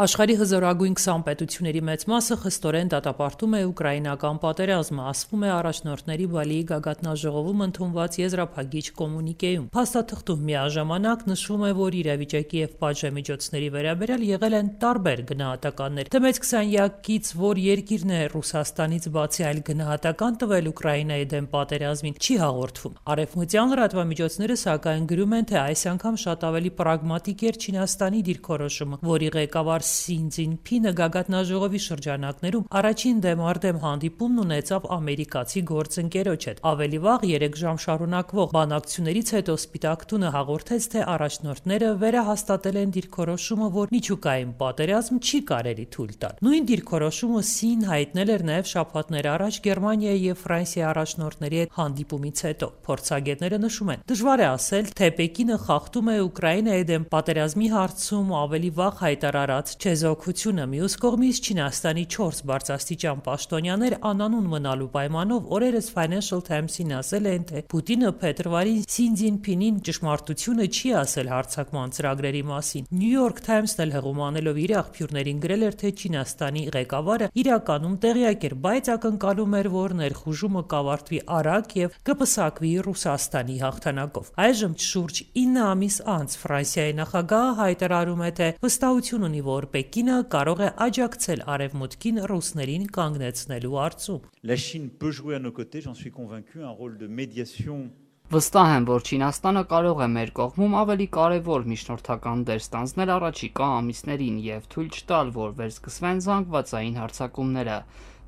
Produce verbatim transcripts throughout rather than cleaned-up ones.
Աշխարհի հզորագույն քսան պետությունների մեծ մասը խստորեն դատապարտում է ուկրաինական պատերազմը, ասվում է առաջնորդների Բալիի գագաթնաժողովում ընդունված եզրափակիչ կոմունիկեում։ Փաստաթղթում միաժամանակ նշվում է, որ իրավիճակի եւ պատժամիջոցների վերաբերյալ եղել են տարբեր գնահատականներ։ Թե մեծ քսանյակից որ երկիրն է Ռուսաստանից բացի այլ գնահատական տվել Ուկրաինայի դեմ պատերազմին, չի հաղորդվում։ Արևմտյան լրատվամիջոցները սակայն գրում են, թե այս անգամ շատ ավելի պրագմատիկ էր Չինաստանի դիրքորոշումը, որի ղեկավար Սին Ցզինփինը գագաթնաժողովի շրջանակներում առաջին դեմարդեմ հանդիպումն ունեցավ ամերիկացի գործընկերոջ հետ։ Ավելի վաղ երեք ժամ շարունակվող բանակցություններից հետո Սպիտակ տունը հաղորդեց, թե առաջնորդները վերահաստատել են դիրքորոշումը, որ միջուկային պատերազմ չի կարելի թույլ տալ։ Նույն դիրքորոշումը Սին հայտնել էր նաև շաբաթներ առաջ Գերմանիայի եւ Ֆրանսիայի առաջնորդների հետ հանդիպումից հետո։ Փորձագետները նշում են, դժվար է ասել, թե Պեկինը խախտում է Ուկրաինայի դեմ պատերազմի հարցում ավելի վաղ հայտարարած չեզոքությունը։ Մյուս կողմից Չինաստանի չորս բարձրաստիճան պաշտոնյաներ անանուն մնալու պայմանով օրերս Financial Times-ին ասել են, թե Պուտինը փետրվարին Սին Ցզինփինին ճշմարտությունը չի ասել հարձակման ծրագրերի մասին։ New York Times-ն էլ հղումանելով իր աղբյուրներին գրել էր, թե Չինաստանի ղեկավարը իրականում տեղյակ էր, բայց ակնկալում էր, որ ներխուժումը կավարտվի արագ եւ կպսակվի Ռուսաստանի հաղթանակով։ Այժմ շուրջ ինը ամիս անց Ֆրանսիայի նախագահը հայտարարում է, թե վստահություն ունի, որ Պեկինը կարող է աջակցել Արևմուտքին ռուսներին կանգնեցնելու հարցում։ La Chine peut jouer à nos côtés, j'en suis convaincu, un rôle de médiation. Վստահ եմ, որ Չինաստանը կարող է մեր կողմում ավելի կարևոր միջնորդական դեր ստանձնել առաջիկա ամիսներին եւ թույլ չտալ, որ վերսկսվեն զանգվածային հարձակումները,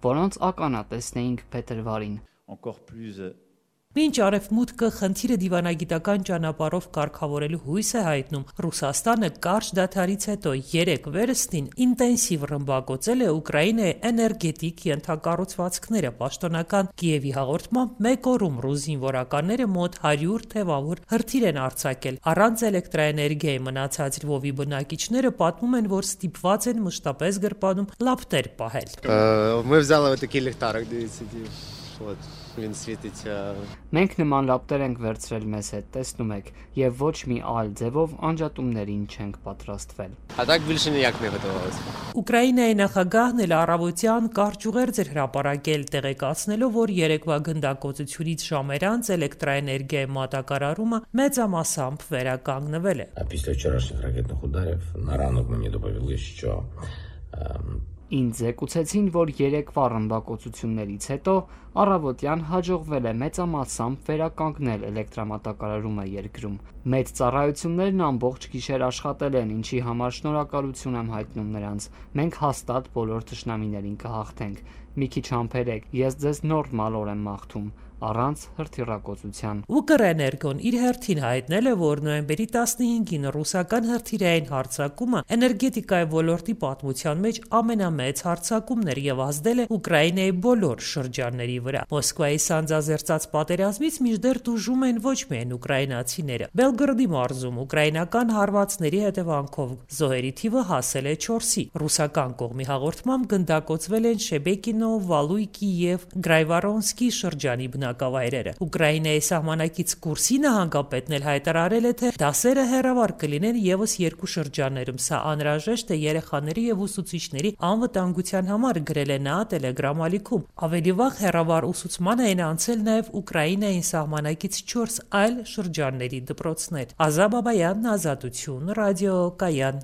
որոնց ականատեսն էինք փետրվարին։ Encore plus Մինչ Արևմուտքը խնդիրը դիվանագիտական ճանապարհով կարգավորելու հույս է հայտնում, Ռուսաստանը կարճ դադարից հետո երեք վերստին ինտենսիվ ռմբակոծել է Ուկրաինայի էներգետիկ ենթակառուցվածքները։ Պաշտոնական Կիևի հաղորդմամբ մեկ օրում ռուս զինվորականները մոտ հարյուր թևավոր հրթիռ են արձակել։ Առանց էլեկտրաէներգիայի մնացած Լվովի բնակիչները պատմում են, որ ստիպված են մշտապես գրպանում լապտեր պահել։ Мы взяли вот такие ліхтарик, дивіться, вот. Він світить. Մենք նման լապտեր ենք վերցրել մեզ հետ, տեսնում եք, եւ ոչ մի այլ ձևով անջատումներին չենք պատրաստվել։ А так більше ніяк не готувалися. Ուկրաինայի նախագահն էլ առավոտյան կարճ ուղերձ էր հրապարակել, տեղեկացնելով, որ երեկվա գնդակոծությունից ժամեր անց էլեկտրաէներգիայի մատակարարումը մեծամասամբ վերականգնվել է։ А після вчорашніх ракетних ударів на ранок мені доповіли, що Ինձ զեկուցեցին, որ երեկվա ռմբակոծություններից հետո առավոտյան հաջողվել է մեծամասամբ վերականգնել էլեկտրամատակարարումը երկրում։ Մեծ ծառայություններն ամբողջ գիշեր աշխատել են, ինչի համար շնորհակալություն եմ հայտնում նրանց։ Մենք հաստատ բոլոր թշնամիներին կհաղթենք։ Մի քիչ համբերեք, ես ձեզ նորմալ օր եմ մաղթում, առանց հրթիռակոծության։ Ուկրէներգոն իր հերթին հայտնել է, որ նոյեմբերի տասնհինգին ռուսական հրթիռային հարձակումը էներգետիկայի ոլորտի պատմության մեջ ամենամեծ հարձակումն էր եւ ազդել է Ուկրաինայի բոլոր շրջանների վրա։ Մոսկվայի սանձազերծած պատերազմից մինչդեռ տուժում են ոչ միայն ուկրաինացիները։ Բելգրադի մարզում ուկրաինական հարվածների հետևանքով զոհերի թիվը հասել է չորսի։ Ռուսական կողմի հաղորդմամբ գնդակոծվել են Շեբեկինո, Վալույկի եւ Գրայվարոնսկի շրջանի բնակավայրերը։ Ուկրաինայի սահմանակից Կուրսի նահանգապետն էլ հայտարարել է, թե դասերը հեռավար կլինեն եւս երկու շրջաններում։ Սա անհրաժեշտ է երեխաների եւ ուսուցիչների անվտանգության համար, գրել է նա Telegram ալիքում։ Ավելի վաղ հեռավար ուսուցման էին անցել նաեւ Ուկրաինային սահմանակից չորս այլ շրջանների դպրոցներ։ Ազա Բաբայանն, Ազատություն, ռադիո Կայան։